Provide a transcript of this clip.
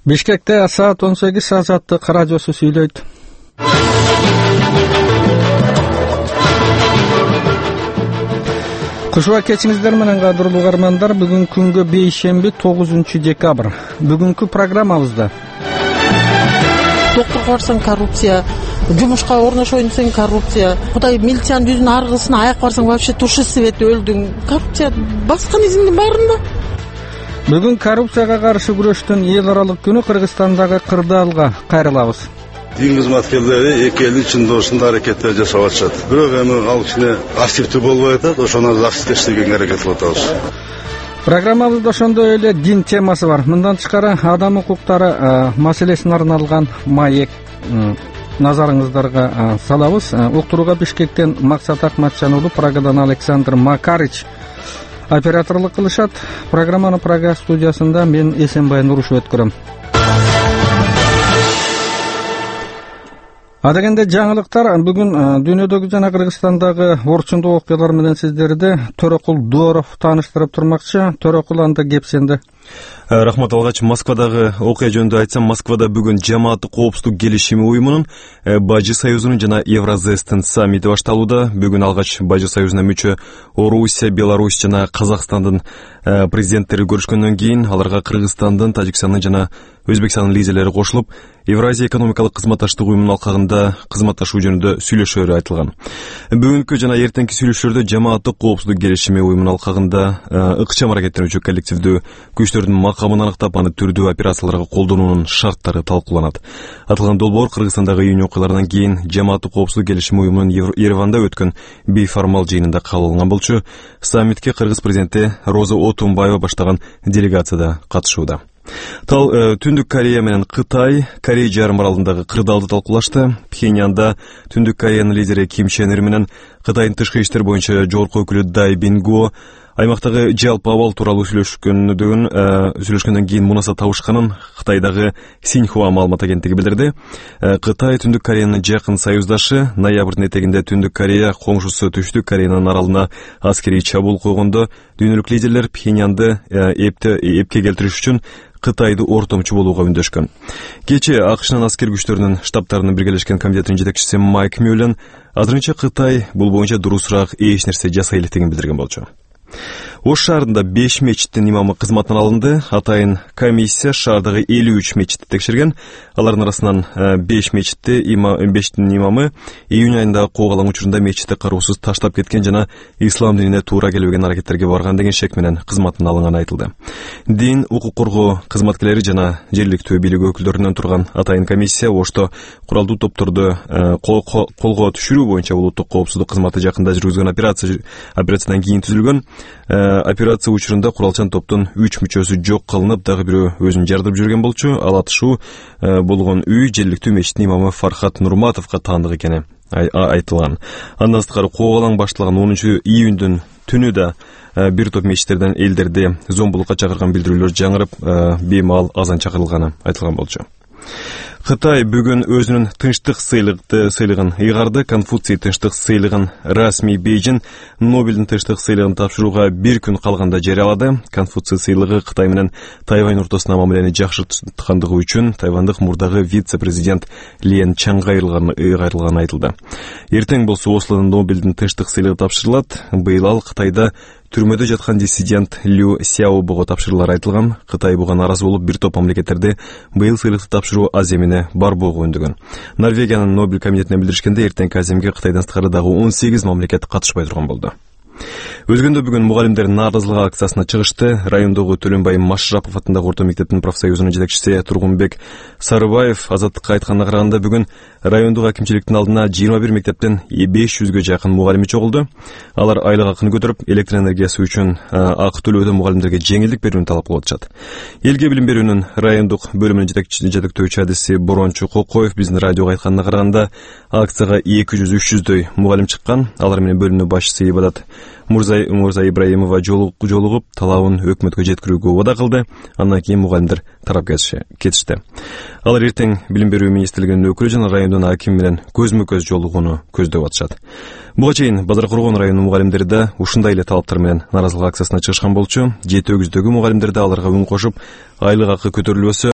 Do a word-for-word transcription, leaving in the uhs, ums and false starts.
Бишкекте саат он сегиз Азаттык радиосу сүйлөйт. Кушуба кечиңиздер менен кадырлуу угармандар, бүгүн күнгө бейшемби тогузунчу декабрь. Бүгүнкү программабызда доктурга барсаң коррупция, жумушка орношоюн десең коррупция, Кудай милициянын жүзүн аргысына аяк барсаң вообще турши свет өлдүң. Коррупция баскан изиңдин баарында. Бүгүн коррупцияга каршы күрөштүн эл аралык күнү. Кыргызстандагы Кырдаалга кайрылабыз. Дин кызматкерлери эки элдин чындоосунда аракеттер жасап атышат. Бирок эми ал кичине активдүү болбой атат, ошону жакшы иштегенге аракет кылып атабыз. Программабызда ошондой эле дин темасы бар. Мындан тышкары адам укуктары маселесине арналган маек назарыңыздарга салабыз. Уктурууга Бишкектен Максат Акматжан уулу, Прагадан Александр Макарич операторлук кылышат. Программаны Прага студиясында мен Эсенбай Нурушев өткөрөм. Адегенде жаңылыктар. Бүгүн дүйнөдөгү жана Кыргызстандагы орчундуу окуялар менен сиздерди Төрөкул Дуоров тааныштырып турмакчы. Төрөкул, анда кеп сенде. Рахмат алгач, Москвадагы окуя жөнүндө айтсам, Москвада бүгүн жамааттык коопсуздук келишими уюмунун, Бажы союзунун жана Евразестин саммити башталууда. Бүгүн алгач Бажы союзуна мүчө Орусия, Беларусь жана Казакстандын президенттери көрүшкөндөн кийин аларга Кыргызстандын, Тажикстандын жана Өзбекстандын лидерлери кошулуп, Евразия экономикалык кызматташтык уюмунун алкагында кызматташуу жөнүндө сүйлөшөөрү айтылган. Бүгүнкү жана эртеңки сүйлөшүүлөрдө жамааттык коопсуздук келишими уюмунун алкагында ыкчам аракеттенүүчү коллективдүү күчтөрдүн макамын аныктап, аны түрдүү операцияларга колдонуунун шарттары талкууланат. Аталган долбоор Кыргызстандагы июнь окуяларынан кийин жамааттык коопсуздук келишими уюмунун Ереванда өткөн бейформал жыйынында кабыл алынган болчу. Саммитке Кыргыз президенти Роза Отунбаева баштаган делегация да катышууда. Тал Түндүк Корея менен Кытай Корей жарым аралындагы кырдаалды талкуулашты. Пхеньянда Түндүк Кореянын лидери Ким Чен Ир менен Кытайдын тышкы иштер боюнча жогорку өкүлү Дай Бингуо аймактагы жалпы абал тууралуу сүйлөшкөндөн сүйлөшкөндөн кийин мунаса табышканын Кытайдагы Синьхуа маалымат агенттиги билдирди. Кытай Түндүк Кореянын жакын союздашы. Ноябрдын этегинде Түндүк Корея коңшусу Түштүк Кореянын аралына аскерий чабуул койгондо дүйнөлүк лидерлер Пхеньянды эпке келтириш үчүн Кытайды ортомчу болууга үндөшкөн. Кечээ АКШнын аскер күчтөрүнүн штабтарынын биргелешкен комитетинин жетекчиси Майк Мюллен азырынча Кытай бул боюнча дурусураак эч нерсе жасай электигин билдирген болчу. Ош шаарында беш мечиттин имамы кызматтан алынды. Атайын комиссия шаардагы элүү үч мечитти текшерген. Алардын арасынан беш мечитти бештин имамы июнь айында куугалаң учурунда мечитти кароосуз таштап кеткен жана ислам динине туура келбеген аракеттерге барган деген шек менен кызматтан алынганы айтылды. Дин, укук коргоо кызматкерлери жана жергиликтүү бийлик өкүлдөрүнөн турган атайын комиссия Ошто куралдуу топторду колго түшүрүү боюнча улуттук коопсуздук кызматы жакында жүргүзгөн операция операциядан кийин түзүлгөн. Операция учурунда куралчан топтун үч мүчөсү жок кылынып, дагы бирөө өзүн жардырып жүргөн болчу. Ал атышуу болгон үй жергиликтүү мечиттин имамы Фархат Нурматовго таандык экени айтылган. Андан сырткары куугалаң башталган онунчу июндүн түнү да бир топ мечиттерден элдерди зомбулукка чакырган билдирүүлөр жаңырып, беймаал азан чакырылганы айтылган болчу. Кытай бүгүн өзүнүн тынчтык сыйлыгын ыйгарды. Конфуций тынчтык сыйлыгын расмий Бейжин Нобелдин тынчтык сыйлыгын тапшырууга бир күн калганда жарыялады. Конфуций сыйлыгы Кытай менен Тайвань ортосуна мамилени жакшырткандыгы үчүн тайвандык мурдагы вице-президент Лен Чанга ыйгарылганы айтылды. Эртең болсо Ослодон Нобелдин тынчтык сыйлыгы тапшырылат. Быйыл ал Кытайда түрмөдө жаткан диссидент Лю Сяобого тапшырылары айтылган. Кытай буга наразы болуп, бир топ мамлекеттерди быйыл сыйлыкты тапшыруу аземине барбоого өндөгөн. Норвегиянын Нобель комитетине билдиришкенде, эртеңки аземге Кытайдан сырткары дагы он сегиз мамлекет катышпай турган болду. Өзгөндө бүгүн мугалимдер нааразылык акциясына чыгышты. Райондогу Төлөнбай Машрапов атындагы орто мектептин профсоюзунун жетекчиси Тургунбек Сарыбаев Азаттыкка айтканына караганда, бүгүн райондук акимчиликтин алдына жыйырма бир мектептен беш жүзгө жакын мугалими чогулду. Алар айлык акыны көтөрүп, электр энергиясы үчүн акы төлөөдө мугалимдерге жеңилдик берүүнү талап кылып атышат. Элге билим берүүнүн райондук бөлүмүнүн жетектөөчү адиси Борончу Кокоев биздин радиого айтканына караганда, акцияга эки жүз үч жүздөй мугалим чыккан. Алар менен бөлүмүнүн башчысы Ибадат Мурзай Мурза Ибраимова жолугуп, талабын өкмөткө жеткирүүгө убада кылды. Андан кийин мугалимдер тарап кетишти. Алар эртең билим берүү министрлигинин өкүлү жана райондун акими менен көзмө-көз жолугууну көздөп атышат. Буга чейин Базар Коргон районунун мугалимдери да ушундай эле талаптар менен нааразылык акциясына чыгышкан болчу. Жети өгүздөгү мугалимдер да аларга үн кошуп, айлык акы көтөрүлбөсө